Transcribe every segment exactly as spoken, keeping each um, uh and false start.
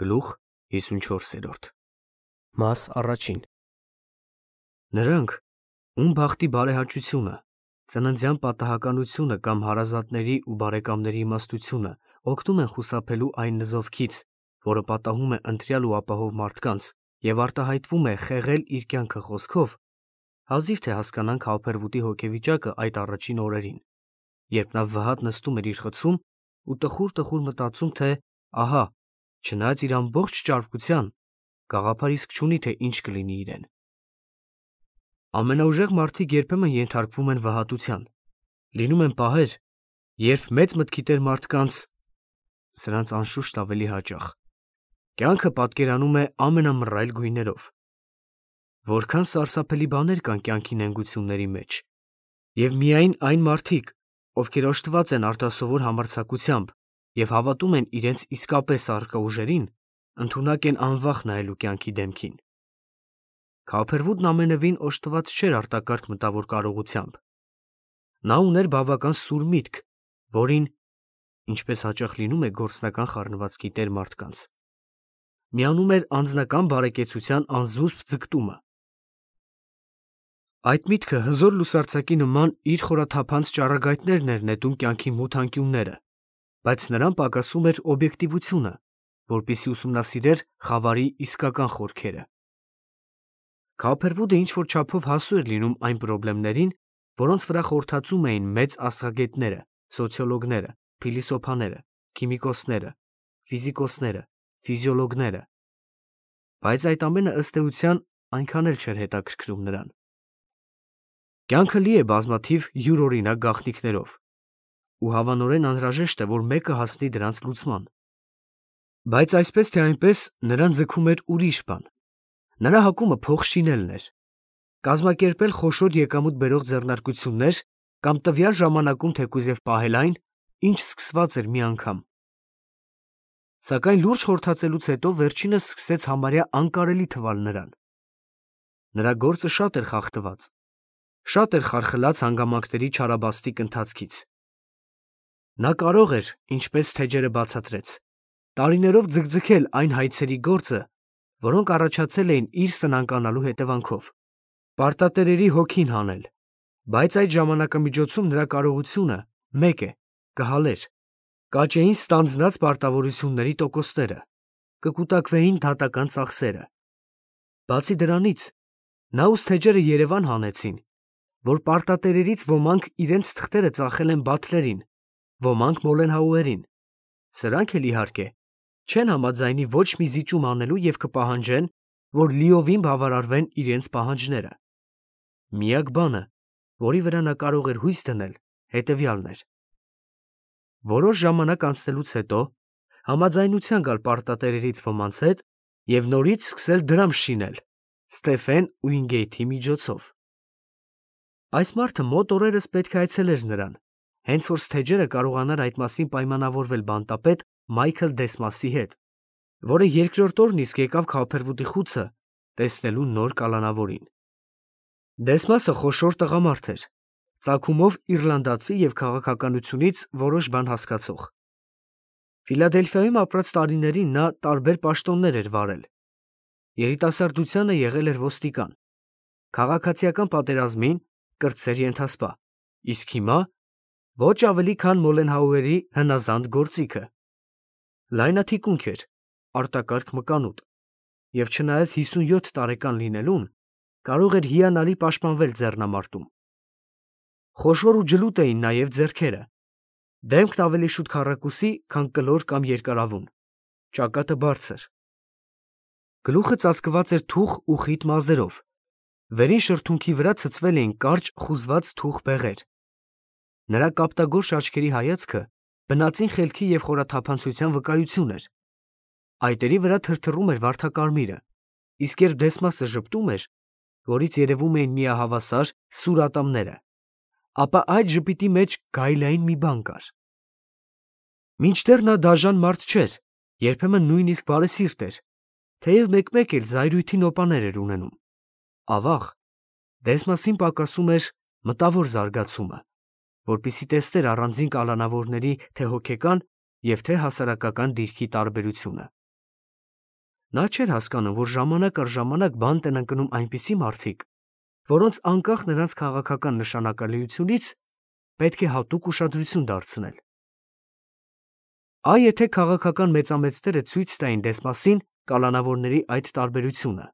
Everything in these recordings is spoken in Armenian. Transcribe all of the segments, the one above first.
Գլուխ հիսունչորսերորդ Մաս առաջին Նրանք, ում բախտի բարեհաճությունը, ծննդյան պատահականությունը կամ հարազատների ու բարեկամների իմաստությունը օգնում են խուսափելու այն նզովքից, որը պատահում է ընտրյալ ու ապահով մարդկանց և արտահայտվում է խեղել իր կյանքը խոսքով, հազիվ թե հասկանան Քավփերվուտի հոգեվիճակը այդ առաջին օրերին, երբ նա վհատ նստում էր իր խցում ու տխուր-տխուր մտածում, թե ահա, չնայած իր ամբողջ ճարպկության, գաղափար իսկ չունի, թե ինչ կլինի իրեն։ Ամենաուժեղ մարդիկ երբեմն ենթարկվում են վհատության, լինում են պահեր, երբ մեծ մտքի տեր մարդկանց, սրանց անշուշտ ավելի հաճախ, կյանքը պատկերանում է ամենամռայլ գույներով։ Որքան սարսափելի բաներ կան կյանքի նենգությունների մեջ, և միայն այն մարդիկ, ովքեր օժտված են արտասովոր համարձակությամբ և հավատում են իրենց իսկապես առկա ուժերին, ընդունակ են անվախ նայելու կյանքի դեմքին։ Քավփերվուտն ամենևին օժտված չէր արտակարգ մտավոր կարողությամբ։ Նա ուներ բավական սուր միտք, որին, ինչպես հաճախ լինում է գործնական խառնվածքի տեր մարդկանց, միանում էր անձնական բարեկեցության անզուսպ ձգտումը։ Այդ միտքը հզոր լուսարձակի նման իր խորաթափանց ճառագայթներն էր նետում կյանքի մութ անկյունները, բայց նրան պակասում էր օբյեկտիվությունը, որպեսզի ուսումնասիրեր խավարի իսկական խորքերը։ Քավփերվուտը ինչ-որ չափով հասու էր լինում այն պրոբլեմներին, որոնց վրա խորհրդածում էին մեծ աստղագետները, սոցիոլոգները, փիլիսոփաները, քիմիկոսները, ֆիզիկոսները, ֆիզիոլոգները, բայց այդ ամենը ըստ էության այնքան էլ չէր հետաքրքրում նրան։ Կյանքը լի է բազմաթիվ յուրօրինակ գաղտնիքներով, ու հավանորեն անհրաժեշտ է, որ մեկը հասնի դրանց լուծման։ Բայց այսպես թե այնպես նրան ձգում էր ուրիշ բան։ Նրա հակումը փող շինելն էր, կազմակերպել խոշոր եկամուտ բերող ձեռնարկություններ կամ տվյալ ժամանակում թեկուզ և պահել այն, ինչ սկսված էր մի անգամ։ Սակայն լուրջ խորհրդածելուց հետո վերջինս սկսեց համարյա անկարելի թվալ նրան։ Նրա գործը շատ էր խախտված, շատ էր խարխլած հանգամանքների չարաբաստիկ ընթացքից։ Նա կարող էր, ինչպես թեջերը բացատրեց, տարիներով ձգձգել այն հայցերի գործը, որոնք առաջացել էին իր սնանկանալու հետևանքով, պարտատերերի հոգին հանել, բայց այդ ժամանակամիջոցում նրա կարողությունը մեկ է, կհալեր, կաճեին ստանձնած պարտավորությունների տոկոսները, կկուտակվեին դատական ծախսերը։ Բացի դրանից, նա ու թեջերը երևան հանեցին, որ պարտատերերից ոմանք իրենց թղթերը ծախել են Բաթլերին, ոմանք Մոլենհաուերին, սրանք էլ իհարկե չեն համաձայնի ոչ մի զիջում անելու և կպահանջեն, որ լիովին բավարարվեն իրենց պահանջները։ Միակ բանը, որի վրա նա կարող էր հույս դնել, հետևյալն էր. որոշ ժամանակ անցնելուց հետո համաձայնության գալ պարտատերերից ոմանց հետ և նորից սկսել դրամ շինել Ստեֆեն Ուինգեյթի միջոցով։ Այս մարդը մոտ օրերս պետք է այցելեր նրան, հենց որ Սթեջերը կարողանար այդ մասին պայմանավորվել բանտապետ Մայքլ Դեսմասի հետ, որը երկրորդ օրն իսկ եկավ Քավփերվուտի խուցը տեսնելու նոր կալանավորին։ Դեսմասը խոշոր տղամարդ էր, ծագումով իռլանդացի և քաղաքականությունից որոշ բան հասկացող։ Ֆիլադելֆիայում ապրած տարիներին նա տարբեր պաշտոններ էր վարել։ Երիտասարդությանը եղել էր ոստիկան, քաղաքացիական պատերազմին կրտսեր ենթասպա, իսկ հիմա ոչ ավելի քան Մոլենհաուերի հնազանդ գործիքը։ Լայնաթիկունք էր, արտակարգ մկանուտ, և չնայած հիսունյոթ տարեկան լինելուն, կարող էր հիանալի պաշտպանվել ձեռնամարտում։ Խոշոր ու ջլուտ էին նաև ձեռքերը, դեմքն ավելի շուտ քառակուսի, քան կլոր կամ երկարավուն, ճակատը բարձր։ Գլուխը ծածկված էր թուխ ու խիտ մազերով, վերին շրթունքի վրա ցցվել էին կարճ խուզված թուխ բեղեր։ Նրա կապտագորշ աչքերի հայացքը բնածին խելքի և խորաթափանցության վկայություն էր։ Այտերի վրա թրթռում էր վարդակարմիրը, իսկ երբ Դեսմասը ժպտում էր, որից երևում էին միահավասար սուր ատամները, ապա այդ ժպիտի մեջ գայլային մի բան կար։ Մինչդեռ նա դաժան մարդ չէր, երբեմն նույնիսկ բարեսիրտ էր, թեև մեկ֊մեկ էլ զայրույթի նոպաներ էր ունենում։ Ավաղ, Դեսմասին պակասում էր մտավոր զարգացումը, որպեսզի տեսներ առանձին կալանավորների թե՛ հոգեկան և թե՛ հասարակական դիրքի տարբերությունը։ Նա չէր հասկանում, որ ժամանակ առ ժամանակ բանտ են ընկնում այնպիսի մարդիկ, որոնց անկախ նրանց քաղաքական նշանակալիությունից պետք է հատուկ ուշադրություն դարձնել։ Այ եթե քաղաքական մեծամեծները ցույց տային Դեսմասին կալանավորների այդ տարբերությունը,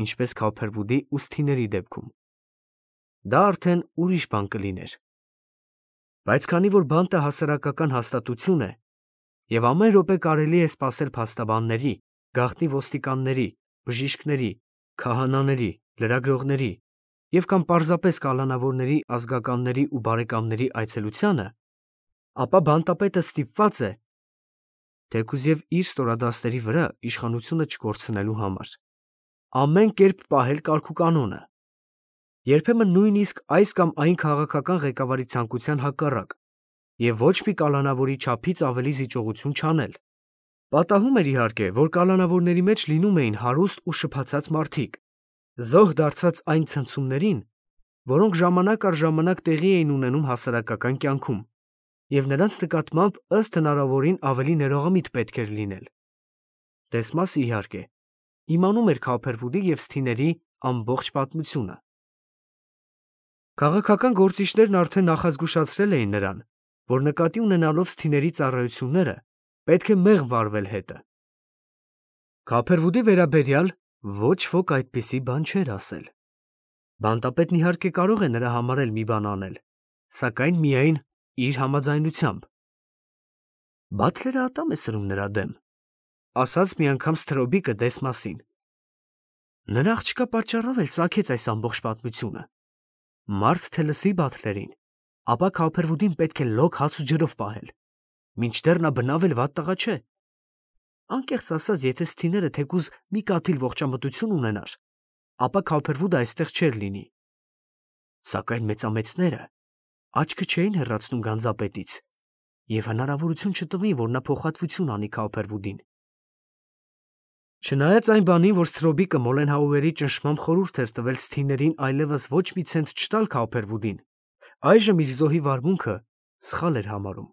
ինչպես Քոփերվուդի ու Սթիների դեպքում, դա արդեն ուրիշ բան կլիներ։ Բայց քանի որ բանտը հասարակական հաստատություն է, եւ ամեն րոպե կարելի է սպասել փաստաբանների, գաղտնի ոստիկանների, բժիշկների, քահանաների, լրագրողների եւ կամ պարզապես կալանավորների ազգականների ու բարեկամների այցելությանը, ապա բանտապետը ստիպված է, թեկուզ եւ իր ստորադաստերի վրա իշխանությունը չկորցնելու համար, ամեն կերպ պահել կարգուկանոնը, երբեմն նույնիսկ այս կամ այն քաղաքական ղեկավարի ցանկության հակառակ, եւ ոչ մի կալանավորի չափից ավելի զիջողություն չանել։ Պատահում էր իհարկե, որ կալանավորների մեջ լինում էին հարուստ ու շփացած մարդիկ, զոհ դարձած այն ցնցումներին, որոնք ժամանակ առ ժամանակ տեղի էին ունենում հասարակական կյանքում, եւ նրանց նկատմամբ ըստ հնարավորին ավելի ներողամիտ պետք էր լինել։ Դեսմասը իհարկե իմանում էր Քոփերվուդի եւ Սթիների ամբողջ պատմությունը։ Քաղաքական գործիչներն արդեն նախազգուշացրել էին նրան, որ նկատի ունենալով Սթիների ծառայությունները պետք է մեղմ վարվել հետը։ Քոփերվուդի վերաբերյալ ոչ ոք այդպիսի բան չէր ասել։ Բանտապետն իհարկե կարող է նրա համար էլ մի բան անել, սակայն միայն իր համաձայնությամբ։ Բաթլերը ատամ է սրում նրա դեմ, ասաց մի անգամ Սթրոբիկը Դեսմասին։ Նրա աղջկա պատճառով էլ ծագեց այս ամբողջ պատմությունը։ Մարդ թե լսի Բաթլերին, ապա Քոփերվուդին պետք է լոկ հաց ու ջրով պահել, մինչդեռ նա բնավ էլ վատ տղա չէ։ Անկեղծ ասած, եթե Սթիները թեկուզ մի կաթիլ ողջամտություն ունենար, ապա Քոփերվուդը այստեղ չէր լինի։ Սակայն մեծամեծները աչքը չէին հեռացնում գանձապետից, եւ հնարավորություն չտվին, որ նա փոխհատվություն անի Քոփերվուդին։ Չնայած այն բանին, որ Սթրոբիկը Մոլենհաուերի ճնշմամբ խորհուրդ էր տվել Սթիներին այլևս ոչ մի ցենտ չտալ Քոփերվուդին, այժմ իր զոհի վարմունքը սխալ էր համարում։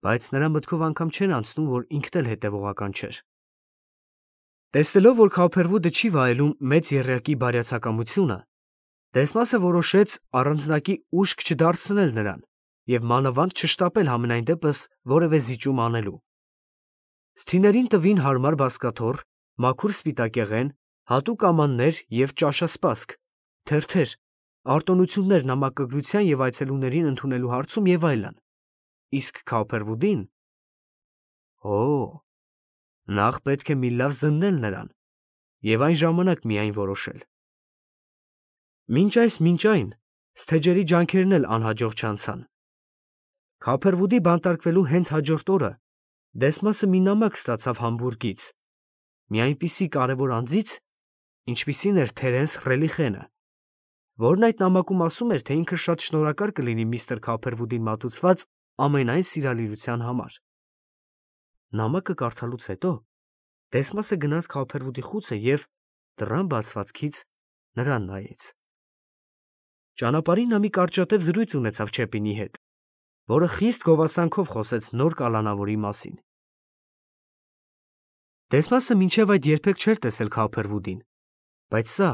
Բայց նրա մտքով անգամ չէր անցնում, որ ինքն էլ հետևողական չէր։ Տեսնելով, որ Քոփերվուդը չի վայելում մեծ եռյակի բարյացակամությունը, Դեսմասը որոշեց առանձնակի ուշք չդարձնել նրան եւ մանավանդ չշտապել համենայն դեպս որևէ զիջում անելու։ Սթիներին տվին հարմար բազկաթոռ, մաքուր սպիտակեղեն, հատուկ ամաններ եւ ճաշասպասք, թերթեր, արտոնություններ նամակագրության եւ այցելուներին ընդունելու հարցում եւ այլն։ Իսկ Քոփերվուդին… Օ, նախ պետք է մի լավ զննել նրան եւ այն ժամանակ միայն որոշել։ Մինչ այս մինչ այն Սթեջերի ջանքերն էլ անհաջող չանցան։ Քոփերվուդի բանտարկվելու հենց հաջորդ օրը Դեսմասը մի նամակ ստացավ Համբուրգից, մի այնպիսի կարևոր անձից, ինչպիսին էր Թերենս Ռելիխենը, որն այդ նամակում ասում էր, թե ինքը շատ շնորհակալ կլինի միստր Քոփերվուդին մատուցված ամենայն սիրալիրության համար։ Նամակը կարդալուց հետո Դեսմասը գնաց Քոփերվուդի խուցը եւ դռան բացվածքից նրան նայեց։ Ճանապարհին նա մի կարճատև զրույց ունեցավ Չեպինի հետ, որը խիստ գովասանքով խոսեց նոր կալանավորի մասին։ Դեսմասը մինչև այդ երբեք չէր տեսել Քոփերվուդին, բայց սա,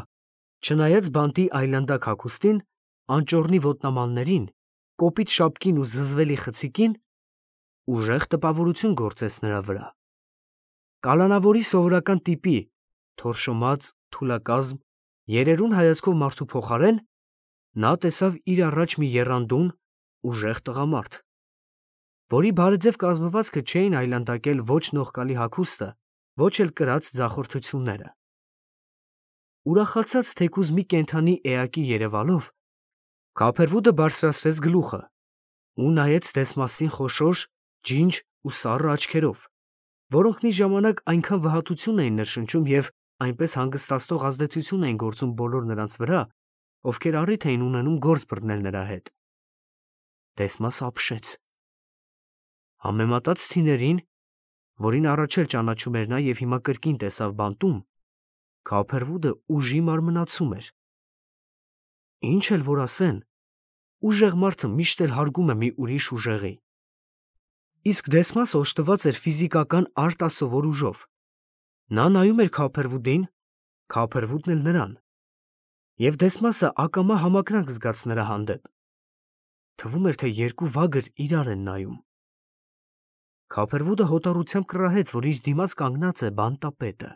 չնայած բանտի այլանդակ հագուստին, անճոռնի ոտնամաններին, կոպիտ շապկին ու զզվելի խցիկին, ուժեղ տպավորություն գործեց նրա վրա։ Կալանավորի սովորական տիպի, թորշոմած, թուլակազմ, երերուն հայացքով մարդու փոխարեն նա տեսավ իր առաջ մի եռանդուն, ուժեղ տղամարդ, որի բարեձև կազմվածքը չէին այլանդակել ոչ նողկալի հագուստը, ոչ էլ կրած ձախորդությունները։ Ուրախացած թեկուզ մի կենդանի էակի երևալով, Քոփերվուդը բարձրացրեց գլուխը ու նայեց Դեսմասին խոշոր, ջինջ ու սառը աչքերով, որոնք մի ժամանակ այնքան վհատություն էին ներշնչում եւ այնպես հանգստացնող ազդեցություն էին գործում բոլոր նրանց վրա, ովքեր առիթ էին ունենում գործ բռնել նրա հետ։ Դեսմասը ապշեց։ Համեմատած Սթիներին, որին առաջ էլ ճանաչում էր նա եւ հիմա կրկին տեսավ բանտում, Քոփերվուդը ուժի մարմնացում էր։ Ինչ էլ որ ասեն, ուժեղ մարդը միշտ էլ հարգում է մի ուրիշ ուժեղի։ Իսկ Դեսմասը օժտված էր ֆիզիկական արտասովոր ուժով, Նա նայում էր Քոփերվուդին, Քոփերվուդն էլ նրան, և Դեսմասը ակամա համակրանք զգաց նրա հանդեպ. թվում էր, թե երկու վագր իրար են նայում։ Քոփերվուդը հոտառությամբ կռահեց, որ իր դիմաց կանգնած է բանտապետը։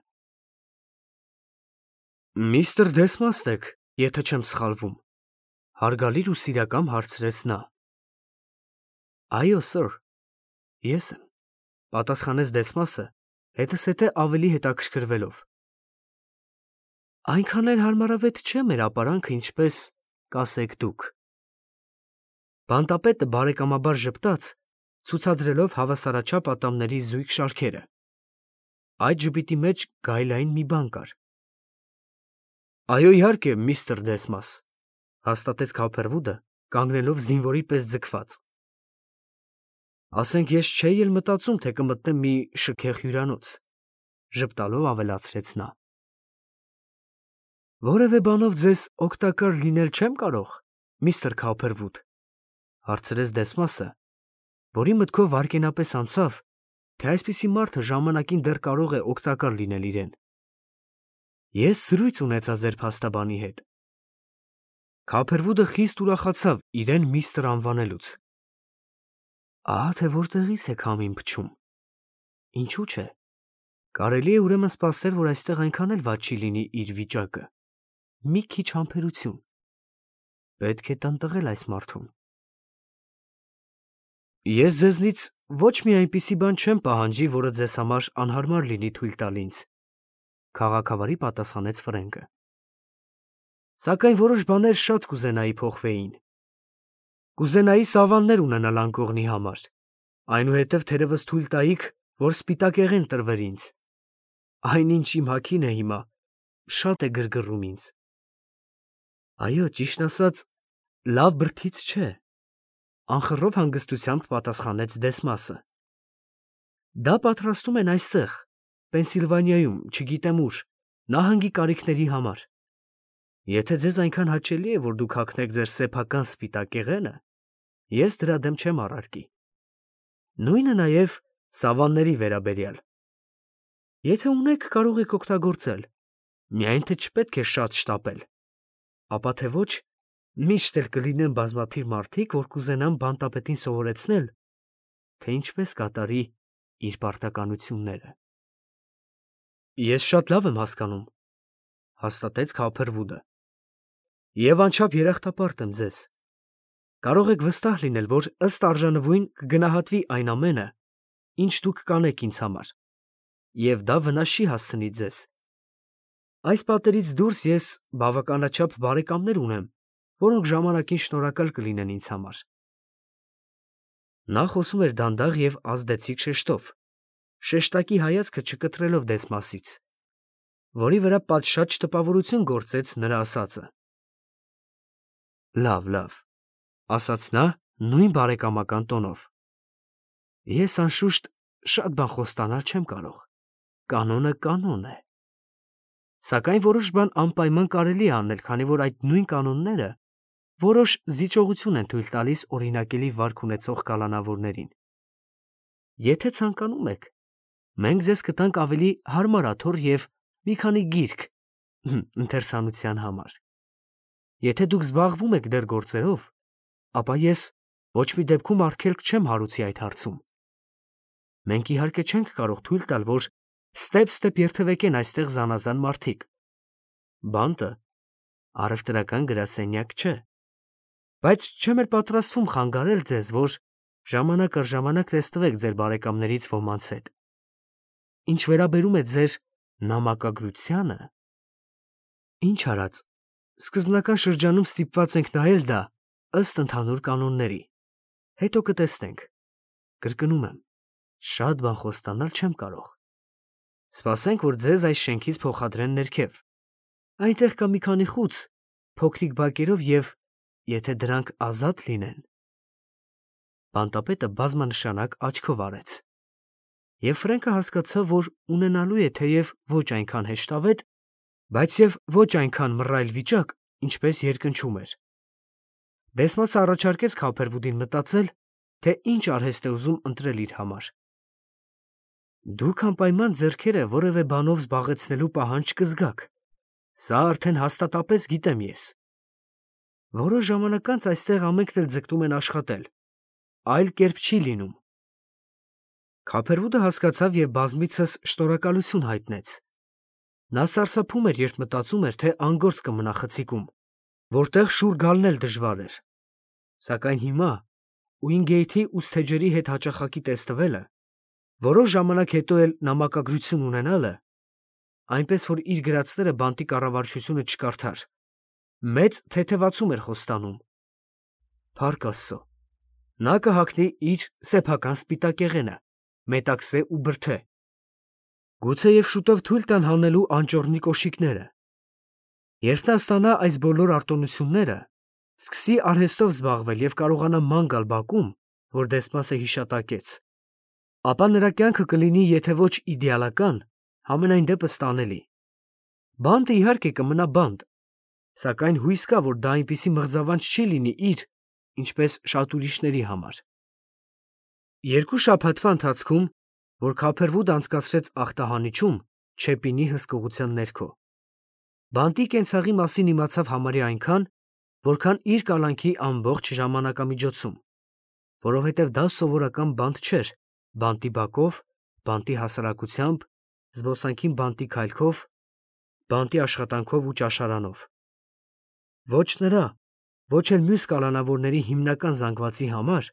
Միստր Դեսմասն եք, եթե չեմ սխալվում, հարգալից ու սիրակամ հարցրեց նա։ Այո, սըր, ես եմ, պատասխանեց Դեսմասը, հետզհետե ավելի հետաքրքրվելով։ Այնքան էլ հարմարավետ չէ մեր ապարանքը, ինչպես կասեք դուք։ Բանտապետը բարեկամաբար ժպտաց, ցուցադրելով հավասարաչափ ատամների զույգ շարքերը։ Այդ ժպիտի մեջ գայլային մի բան կար։ Այո, իհարկե, միստր Դեսմաս, հաստատեց Քոփերվուդը, կանգնելով զինվորի պես ձգված։ Ասենք ես չէի էլ մտածում, թե կմտնեմ մի շքեղ հյուրանոց, ժպտալով ավելացրեց նա։ Որևէ բանով ձեզ օգտակար լինել չեմ կարող, միստր Քոփերվուդ, հարցրեց Դեսմասը, որի մտքով վայրկենապես անցավ, թե այսպիսի մարդը ժամանակին դեռ կարող է օգտակար լինել իրեն։ Ես զրույց ունեցա ձեր փաստաբանի հետ։ Քոփերվուդը խիստ ուրախացավ իրեն միստր անվանելուց։ Ահա թե որտեղից եք համին փչում։ Ինչու՞ չէ։ Կարելի է ուրեմն սպասել, որ այստեղ այնքան էլ վատ չի լինի իր վիճակը։ Մի քիչ համբերություն։ Պետք է տնտղել այս մարդուն։ Ես ձեզնից ոչ մի այնպիսի բան չեմ պահանջի, որը ձեզ համար անհարմար լինի թույլ տալ ինձ, քաղաքավարի պատասխանեց Ֆրենկը։ Սակայն որոշ բաներ շատ կուզենայի փոխվեին։ Կուզենայի սավաններ ունենալ անկողնի համար, այնուհետև թերևս թույլ տայիք, որ սպիտակեղեն տրվեր ինձ։ Այնինչ իմ հագին է հիմա, շատ է գրգռում ինձ։ Այո, ճիշտ ասած, լավ բրդից չէ, անխռով հանգստությամբ պատասխանեց Դեսմասը։ Դա պատրաստում են այստեղ, Պենսիլվանիայում, չգիտեմ ուր, նահանգի կարիքների համար։ Եթե ձեզ այնքան հաճելի է, որ դուք հագնեք ձեր սեփական սպիտակեղենը, ես դրա դեմ չեմ առարկի։ Նույնը նաև սավանների վերաբերյալ։ Եթե ունեք, կարող եք օգտագործել, միայն թե չպետք է շատ շտապել, ապա թե ոչ, միշտ էլ կլինեն բազմաթիվ մարդիկ, որ կուզենան բանտապետին սովորեցնել, թե ինչպես կատարի իր պարտականությունները։ Ես շատ լավ եմ հասկանում, հաստատեց Քոփերվուդը, և անչափ երախտապարտ եմ ձեզ։ Կարող եք վստահ լինել, որ ըստ արժանվույն կգնահատվի այն ամենը, ինչ դուք կանեք ինձ համար, և դա վնաս չի հասցնի ձեզ։ Այս պատերից դուրս ես բավականաչափ բարեկամներ ունեմ, որոնք ժամանակին շնորհակալ կլինեն ինձ համար։ Նա խոսում էր դանդաղ և ազդեցիկ շեշտով, շեշտակի հայացքը չկտրելով Դեսմասից, որի վրա պատշաճ տպավորություն գործեց նրա ասածը։ Լավ, լավ, ասաց նա նույն բարեկամական տոնով։ Ես անշուշտ շատ բան խոստանալ չեմ կարող, կանոնը կանոն է։ Սակայն որոշ բան անպայման կարելի է անել, քանի որ այդ նույն կանոնները որոշ զիջողություն են թույլ տալիս օրինակելի վարք ունեցող կալանավորներին։ Եթե ցանկանում եք, մենք ձեզ կտանք ավելի հարմար աթոռ և մի քանի գիրք ընթերցանության համար։ Եթե դուք զբաղվում եք դեռ գործերով, ապա ես ոչ մի դեպքում արգելք չեմ հարուցի այդ հարցում։ Մենք իհարկե չենք կարող թույլ տալ, որ ստեպ-ստեպ երթևեկեն այստեղ զանազան մարդիկ։ Բանտը առևտրական գրասենյակ չէ։ Բայց չեմ էլ պատրաստվում խանգարել ձեզ, որ ժամանակ առ ժամանակ տեսնվեք ձեր բարեկամներից ոմանց հետ։ Ինչ վերաբերում է ձեր նամակագրությանը, ինչ արած, սկզբնական շրջանում ստիպված ենք նայել դա ըստ ընդհանուր կանոնների, հետո կտեսնենք։ Կրկնում եմ, շատ բան խոստանալ չեմ կարող։ Սպասենք, որ ձեզ այս շենքից փոխադրեն ներքև։ Այնտեղ կա մի քանի խուց, փոքրիկ բակերով և եթե դրանք ազատ լինեն։ Բանտապետը բազմանշանակ աչքով արեց։ Եվ Ֆրենկը հասկացավ, որ ունենալու է թեև ոչ այնքան հեշտավետ, բայց և ոչ այնքան մռայլ վիճակ, ինչպես երկնչում էր։ Դեսմասը առաջարկեց Քոփերվուդին մտածել, թե ինչ արհեստ է ուզում ընտրել իր համար։ Դուք անպայման ձեռքերը որևէ բանով զբաղեցնելու պահանջ կզգաք։ Սա արդեն հաստատապես գիտեմ ես։ Որոշ ժամանակ անց այստեղ ամենքն էլ ձգտում են աշխատել։ Այլ կերպ չի լինում։ Քափերվուդը հասկացավ և բազմիցս շնորհակալություն հայտնեց։ Նա սարսափում էր, երբ մտածում էր, թե անգործ կմնա խցիկում, որտեղ շուռ գալն էլ դժվար էր։ Սակայն հիմա Ուինգեյթի ուսթեջերի հետ հաճախակի տեստվելը, որոշ ժամանակ հետո էլ նամակագրություն ունենալը, այնպես որ իր գրածները բանտի կառավարչությունը չկարդար, մեծ թեթևացում էր խոստանում։ Փառք Աստծո, նա կհագնի իր սեփական սպիտակեղենը, մետաքսե ու բրդե։ Գուցե և շուտով թույլ տան հանելու անճոռնի կոշիկները։ Երբ նա ստանա այս բոլոր արտոնությունները, սկսի արհեստով զբաղվել և կարողանա ման գալ բակում, որ Դեսմասը հիշատակեց, ապա նրա կյանքը կլինի եթե ոչ իդեալական, համենայն դեպս տանելի։ Բանտը իհարկե կմնա բանտ, սակայն հույս կա, որ դա այնպիսի մղձավանջ չի լինի իր, ինչպես շատ ուրիշների համար։ Երկու շաբաթվա ընթացքում, որ Քափերվուդը անցկացրեց ախտահանիչում, Չեպինի հսկողության ներքո, բանտի կենցաղի մասին իմացավ համարյա այնքան, որքան իր կալանքի ամբողջ ժամանակամիջոցում, որովհետև դա սովորական բանտ չէր, բանտի բակով, բանտի հասարակությամբ, զբոսանքին բանտի քայլքով, բանտի աշխատանքով ու ճաշարանով։ Ոչ նրա, ոչ էլ մյուս կալանավորների հիմնական զանգվածի համար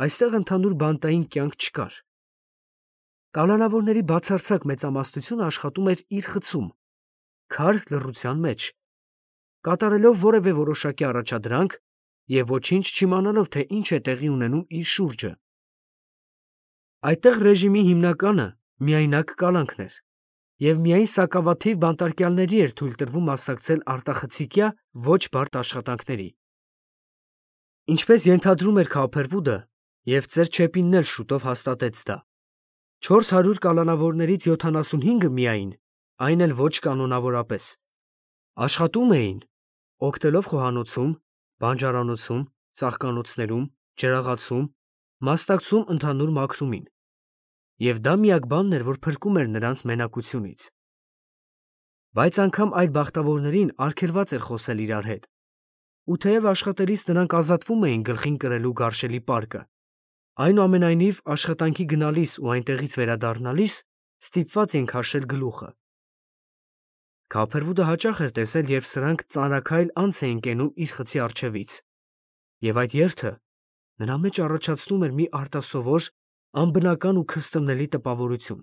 այստեղ ընդհանուր բանտային կյանք չկար։ Կալանավորների բացարձակ մեծամասնությունը աշխատում էր իր խցում, քար լռության մեջ, կատարելով որևէ որոշակի առաջադրանք և ոչինչ չիմանալով, թե ինչ է տեղի ունենում իր շուրջը։ Այդտեղ ռեժիմի հիմնականը միայնակ կալանքն էր, և միայն սակավաթիվ բանտարկյալների էր թույլ տրվում մասնակցել արտախցիկյա ոչ բարդ աշխատանքների։ Ինչպես ենթադրում էր Քափերվուդը, և ծեր Չեպինն էլ շուտով հաստատեց դա, չորս հարյուր կալանավորներից յոթանասունհինգը միայն, այն էլ ոչ կանոնավորապես, աշխատում էին, օգտելով խոհանոցում, բանջարանոցում, ծաղկանոցներում, ջրաղացում, մասնակցում ընդհանուր մաքրումին, և դա միակ բանն էր, որ փրկում էր նրանց մենակությունից։ Բայց անգամ այդ բախտավորներին արգելված էր խոսել իրար հետ, ու թեև աշխատելիս նրանք ազատվում էին գլխին կրելու գարշելի պարկը, այնուամենայնիվ աշխատանքի գնալիս ու այնտեղից վերադառնալիս ստիպված էին քաշել գլուխը։ Քափերվուդը հաճախ էր տեսել, երբ սրանք ծանրաքայլ անց էին կենում իր խցի առջևից, և այդ երթը նրա մեջ առաջացնում էր մի արտասովոր, անբնական ու քստմնելի տպավորություն։